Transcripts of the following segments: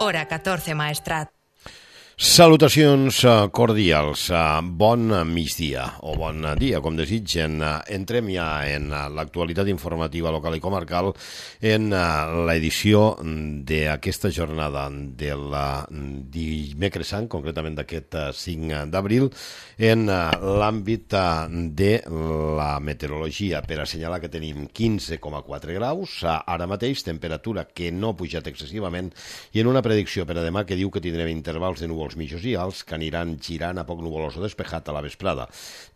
Hora 14 Maestrat. Salutacions cordials, bon migdia o bon dia, com desitgen. Entrem ja en l'actualitat informativa local i comarcal en l'edició d'aquesta jornada del dimecres sant, concretament d'aquest 5 d'abril, en l'àmbit de la meteorologia, per assenyalar que tenim 15,4 graus, ara mateix temperatura que no ha pujat excessivament, i en una predicció per a demà que diu que tindrem intervals de núvols mitjos i alts que aniran girant a poc nuvolós o despejat a la vesprada.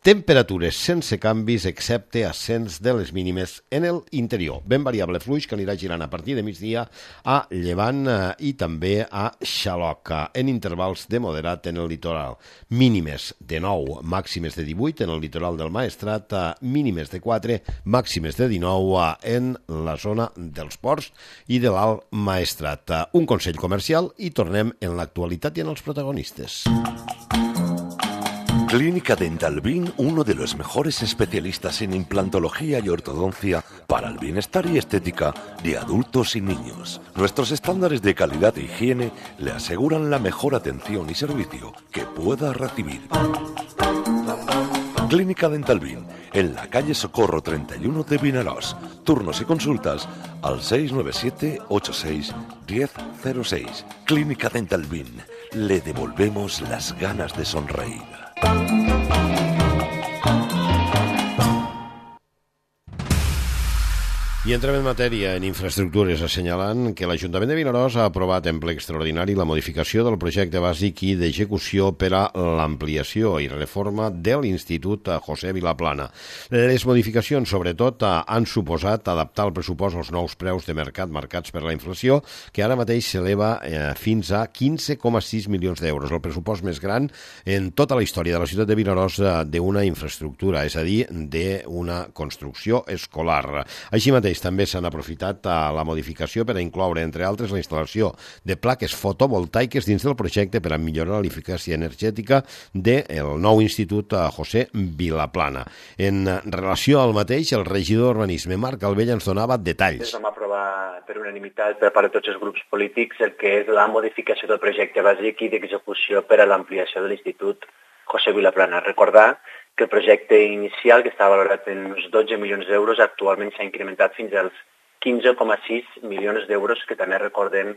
Temperatures sense canvis excepte ascens de les mínimes en el interior. Ben variable fluix que anirà girant a partir de migdia a llevant i també a xaloc, en intervals de moderat en el litoral. Mínimes de 9, màximes de 18 en el litoral del Maestrat, mínimes de 4, màximes de 19 en la zona dels ports i de l'Alt Maestrat. Un consell comercial i tornem en l'actualitat i en els protagonistes. Clínica Dental Bin, uno de los mejores especialistas en implantología y ortodoncia para el bienestar y estética de adultos y niños. Nuestros estándares de calidad e higiene le aseguran la mejor atención y servicio que pueda recibir. Clínica Dental Bin, en la calle Socorro 31 de Vinaròs. Turnos y consultas al 697 86 1006. Clínica Dental Bin. Le devolvemos las ganas de sonreír. I entrem en matèria en infraestructures, assenyalant que l'Ajuntament de Vinaròs ha aprovat en ple extraordinari la modificació del projecte bàsic i d'execució per a l'ampliació i reforma de l'Institut José Vilaplana. Les modificacions, sobretot, han suposat adaptar el pressupost als nous preus de mercat marcats per la inflació, que ara mateix s'eleva fins a 15,6 milions d'euros, el pressupost més gran en tota la història de la ciutat de Vinaròs d'una infraestructura, és a dir, d'una construcció escolar. Així mateix, també s'han aprofitat la modificació per a incloure, entre altres, la instal·lació de plaques fotovoltaiques dins del projecte per a millorar l'eficàcia energètica del nou Institut José Vilaplana. En relació al mateix, el regidor d'Urbanisme, Marc Albella, ens donava detalls. Vam aprovar per unanimitat per part de tots els grups polítics el que és la modificació del projecte bàsic i d'execució per a l'ampliació de l'Institut José Vilaplana. Recordar que el projecte inicial, que estava valorat en uns 12 milions d'euros, actualment s'ha incrementat fins als 15,6 milions d'euros, que també recordem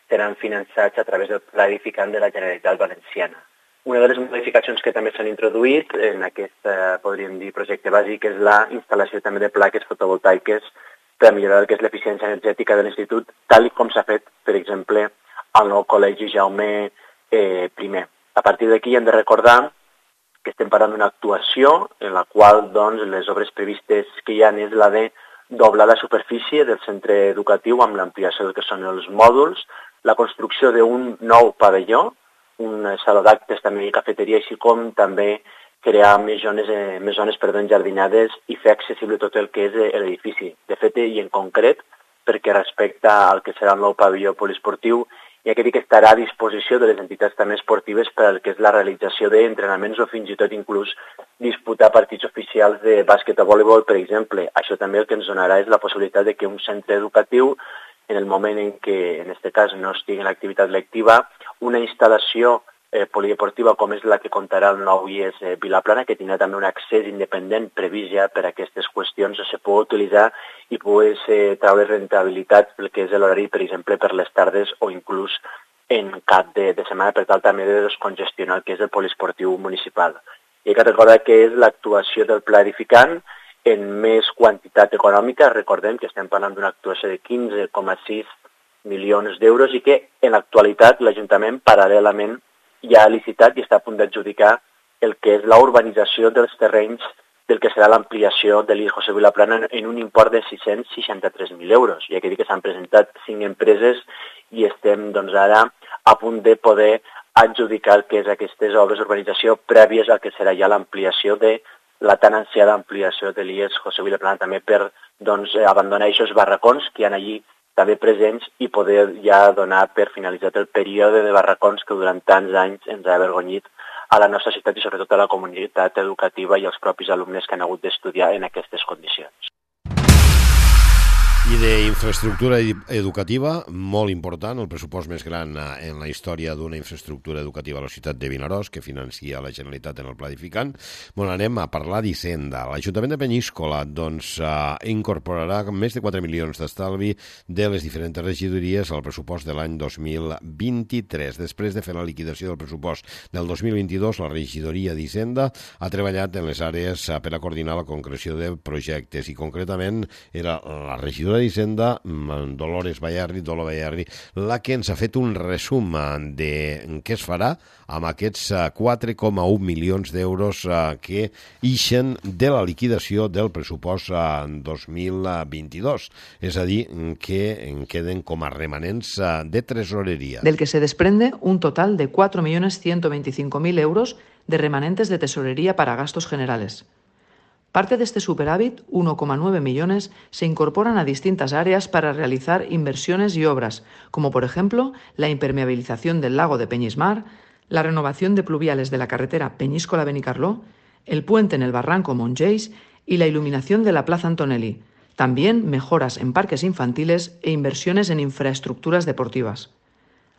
seran finançats a través del Pla Edificant de la Generalitat Valenciana. Una de les modificacions que també s'han introduït en aquest, podríem dir, projecte bàsic és la instal·lació també de plaques fotovoltaiques per millorar el que és l'eficiència energètica de l'Institut, tal com s'ha fet, per exemple, al nou Col·legi Jaume I. A partir d'aquí hem de recordar que estem parlant d'una actuació en la qual les obres previstes que hi ha és la de doblar la superfície del centre educatiu amb l'ampliació del que són els mòduls, la construcció d'un nou pavelló, un saló d'actes també i cafeteria, així com també crear més zones enjardinades i fer accessible tot el que és l'edifici. De fet, i en concret, perquè respecta al que serà el nou pavelló poliesportiu, i aquest que estarà a disposició de les entitats també esportives per al que és la realització d'entrenaments o fins i tot inclús disputar partits oficials de bàsquet o voleibol, per exemple. Això també el que ens donarà és la possibilitat de que un centre educatiu, en el moment en què, en aquest cas, no estigui en l'activitat lectiva, una instal·lació polideportiva com és la que comptarà el nou IES Vilaplana, que tindrà també un accés independent previst ja per a aquestes qüestions, se pot utilitzar i pugui treure rentabilitat pel que és l'horari, per exemple, per les tardes o inclús en cap de setmana, per tal també de descongestionar el que és el poliesportiu municipal. I hay que recordar que és l'actuació del Pla Edificant en més quantitat econòmica. Recordem que estem parlant d'una actuació de 15,6 milions d'euros i que en l'actualitat l'Ajuntament paral·lelament ja ha licitat i està a punt d'adjudicar el que és la urbanització dels terrenys del que serà l'ampliació de l'IES José Vilaplana en un import de 663.000 euros. Ja que dic que s'han presentat 5 empreses i estem ara a punt de poder adjudicar el que és aquestes obres d'urbanització prèvies al que serà ja l'ampliació de la tan ansiada ampliació de l'IES José Vilaplana, també per abandonar aquests barracons que hi ha allí també presents i poder ja donar per finalitzat el període de barracons que durant tants anys ens ha avergonyit a la nostra ciutat i sobretot a la comunitat educativa i als propis alumnes que han hagut d'estudiar en aquestes condicions. I d'infraestructura educativa, molt important, el pressupost més gran en la història d'una infraestructura educativa a la ciutat de Vinaròs, que financia la Generalitat en el Pla Edificant. Bueno, anem a parlar d'Hisenda. L'Ajuntament de Peníscola incorporarà més de 4 milions d'estalvi de les diferents regidories al pressupost de l'any 2023. Després de fer la liquidació del pressupost del 2022, la regidoria d'Hisenda ha treballat en les àrees per a coordinar la concreció de projectes i concretament era la regidora d'Hisenda, Dolores Bayarri, la que ens ha fet un resum de què es farà amb aquests 4,1 milions d'euros que ixen de la liquidació del pressupost 2022. És a dir, que en queden com a remanents de tresoreria. Del que se desprende un total de 4.125.000 euros de remanentes de tesorería para gastos generales. Parte de este superávit, 1,9 millones, se incorporan a distintas áreas para realizar inversiones y obras, como por ejemplo la impermeabilización del lago de Peñismar, la renovación de pluviales de la carretera Peñíscola-Benicarló, el puente en el barranco Montgeis y la iluminación de la Plaza Antonelli. También mejoras en parques infantiles e inversiones en infraestructuras deportivas.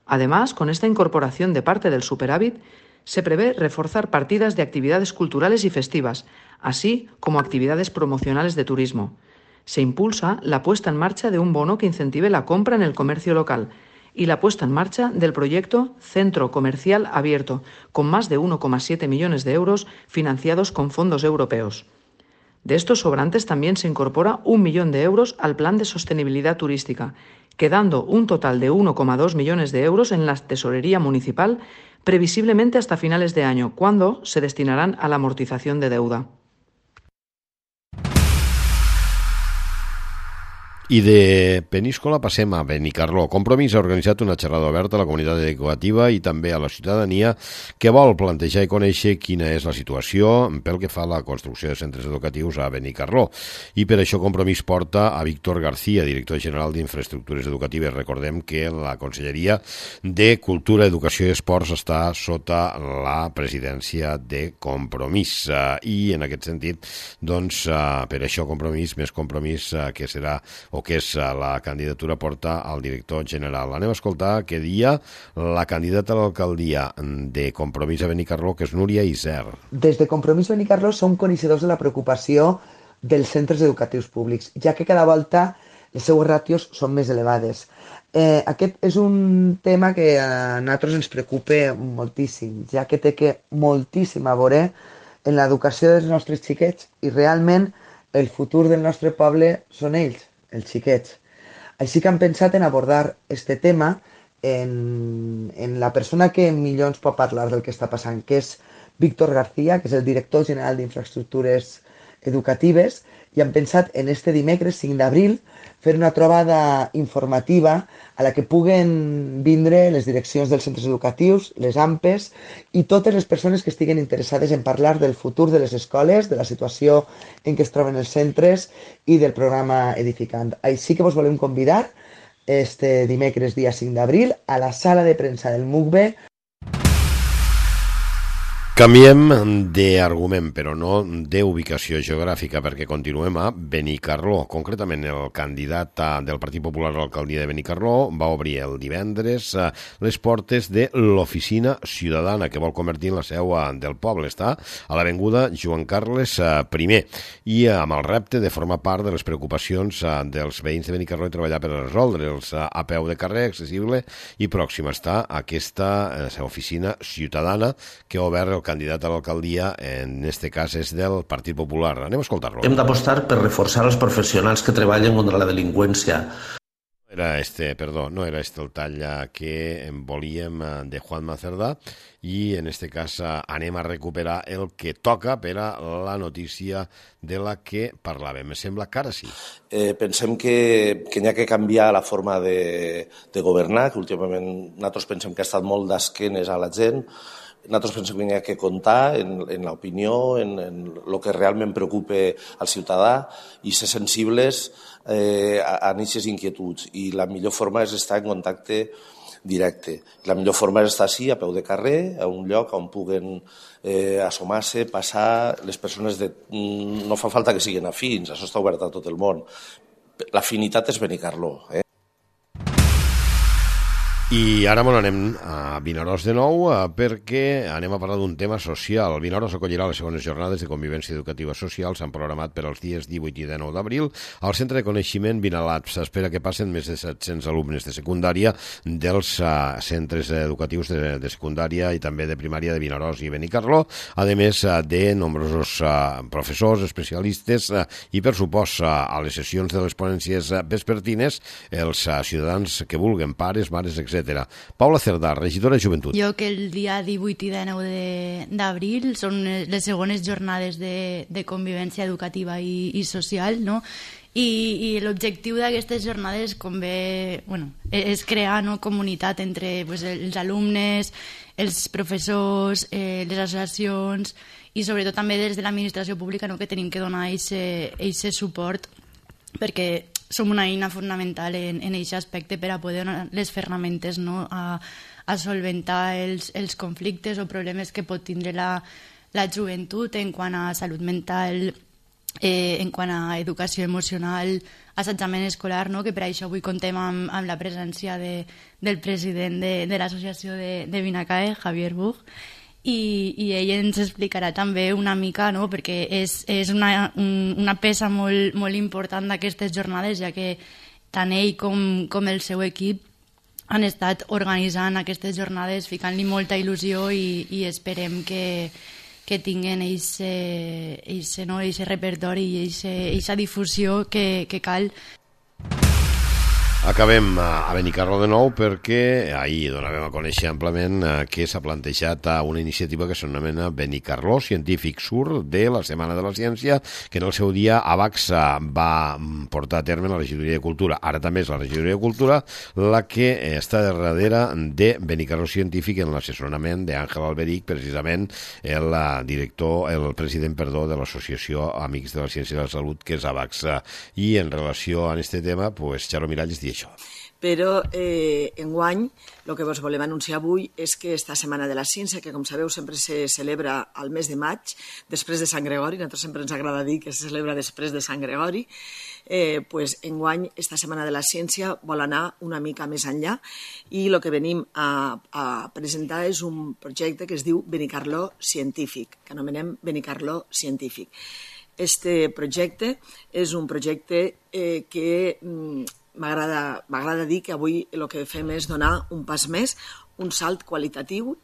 Además, con esta incorporación de parte del superávit, se prevé reforzar partidas de actividades culturales y festivas, así como actividades promocionales de turismo. Se impulsa la puesta en marcha de un bono que incentive la compra en el comercio local y la puesta en marcha del proyecto Centro Comercial Abierto, con más de 1,7 millones de euros financiados con fondos europeos. De estos sobrantes también se incorpora 1 millón de euros al Plan de Sostenibilidad Turística, quedando un total de 1,2 millones de euros en la tesorería municipal, previsiblemente hasta finales de año, cuando se destinarán a la amortización de deuda. I de Peníscola passem a Benicarló. Compromís ha organitzat una xerrada oberta a la comunitat educativa i també a la ciutadania que vol plantejar i conèixer quina és la situació pel que fa a la construcció de centres educatius a Benicarló. I per això Compromís porta a Víctor García, director general d'Infraestructures Educatives. Recordem que la Conselleria de Cultura, Educació i Esports està sota la presidència de Compromís. I en aquest sentit, doncs, per això Compromís, més Compromís, que serà o que és la candidatura porta al director general. Anem a escoltar què dia la candidata a l'alcaldia de Compromís a Benicarló, que és Núria Iser. Des de Compromís Benicarló som coneixedors de la preocupació dels centres educatius públics, ja que cada volta les seues ràtios són més elevades. Aquest és un tema que a nosaltres ens preocupa moltíssim, ja que té moltíssim a veure en l'educació dels nostres xiquets i realment el futur del nostre poble són ells, els xiquets. Així que hem pensat en abordar este tema en la persona que millor ens pot parlar del que està passant, que és Víctor García, que és el director general d'Infraestructures Educatives, i hem pensat en este dimecres 5 d'abril fer una trobada informativa a la que puguen vindre les direccions dels centres educatius, les AMPEs i totes les persones que estiguen interessades en parlar del futur de les escoles, de la situació en què es troben els centres i del programa Edificant. Així que vos volem convidar este dimecres dia 5 d'abril a la sala de premsa del MUCBE. Canviem d'argument, però no d'ubicació geogràfica, perquè continuem a Benicarló. Concretament, el candidat del Partit Popular a l'alcaldia de Benicarló va obrir el divendres les portes de l'oficina ciutadana que vol convertir en la seu del poble. Està a l'avinguda Joan Carles I i amb el repte de formar part de les preocupacions dels veïns de Benicarló i treballar per resoldre'ls a peu de carrer, accessible i pròxima. Està aquesta oficina ciutadana que ha obert el candidat a l'alcaldia, en este cas és del Partit Popular. Anem a escoltar-lo. Hem d'apostar per reforçar els professionals que treballen contra la delinqüència. No era este el tall que volíem de Juan Macerdà i en este cas anem a recuperar el que toca per a la notícia de la que parlàvem. Me sembla que ara sí. Pensem que n'hi ha que canviar la forma de governar, que últimament nosaltres pensem que ha estat molt d'esquenes a la gent. Nosaltres pensem que hi ha que comptar en l'opinió, en el que realment preocupa al ciutadà i ser sensibles a aquestes inquietuds. I la millor forma és estar en contacte directe. La millor forma és estar així, a peu de carrer, a un lloc on puguen assomar-se, passar les persones no fa falta que siguin afins, això està obert a tot el món, l'afinitat és Benicarló, I ara anem a Vinaròs de nou perquè anem a parlar d'un tema social. Vinaròs acollirà les segones jornades de convivència educativa social. S'han programat per als dies 18 i 19 d'abril al Centre de Coneixement Vinalat. S'espera que passen més de 700 alumnes de secundària dels centres educatius de secundària i també de primària de Vinaròs i Benicarló, a més de nombrosos professors, especialistes i, per supost, a les sessions de les ponències vespertines, els ciutadans que vulguen, pares, mares, etc. Paula Cerdà, regidora de Joventut. Jo que el dia 18 i 19 d'abril són les segones jornades de convivència educativa i social, no? I l'objectiu d'aquestes jornades, com bé, és crear comunitat entre els alumnes, els professors, les associacions i sobretot també des de l'administració pública, que tenim que donar aquest suport, perquè som una eina fonamental en aquest aspecte per a poder donar les ferramentes a solventar els conflictes o problemes que pot tindre la joventut en quant a salut mental, en quant a educació emocional, assetjament escolar, que per això avui contem amb la presència del president de l'associació de Vinacae, Javier Buch, i ell ens explicarà també una mica, perquè és una peça molt, molt important d'aquestes jornades, ja que tant ell com el seu equip han estat organitzant aquestes jornades, ficant-li molta il·lusió i esperem que tinguen aquest repertori i aquesta difusió que cal. Acabem a Benicarló de nou perquè ahir donàvem a conèixer amplament que s'ha plantejat una iniciativa que s'anomena Benicarló Científic Sur de la Setmana de la Ciència, que en el seu dia AVAX va portar a terme la Regidoria de Cultura. Ara també és la Regidoria de Cultura la que està darrere de Benicarló Científic en l'assessorament d'Àngel Alberic, precisament el president de l'Associació Amics de la Ciència i de la Salut, que és AVAX. I en relació a aquest tema, Xaro Miralles diu això. Però enguany el que vos volem anunciar avui és que esta Setmana de la Ciència, que com sabeu sempre se celebra al mes de maig, després de Sant Gregori, a nosaltres sempre ens agrada dir que se celebra després de Sant Gregori, enguany esta Setmana de la Ciència vol anar una mica més enllà i el que venim a presentar és un projecte que es diu Benicarló Científic, que anomenem Benicarló Científic. Este projecte és un projecte que m'agrada dir que avui el que fem és donar un pas més, un salt qualitatiu.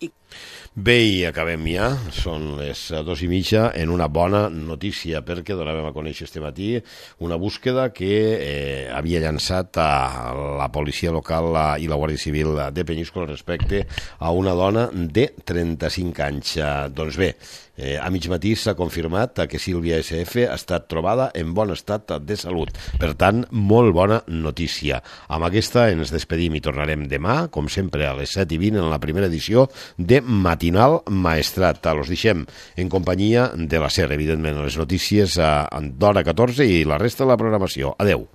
Bé, i acabem ja, són les 2:30, en una bona notícia, perquè donàvem a conèixer este matí una búsqueda que havia llançat a la policia local i la Guàrdia Civil de Penyíscola respecte a una dona de 35 anys. Doncs bé, a mig matí s'ha confirmat que Sílvia SF ha estat trobada en bon estat de salut. Per tant, molt bona notícia. Amb aquesta ens despedim i tornarem demà, com sempre, a les 7:20 en la primera edició de Matinal Maestrat. Los deixem en companyia de la SER, evidentment, les notícies d'hora 14 i la resta de la programació. Adeu.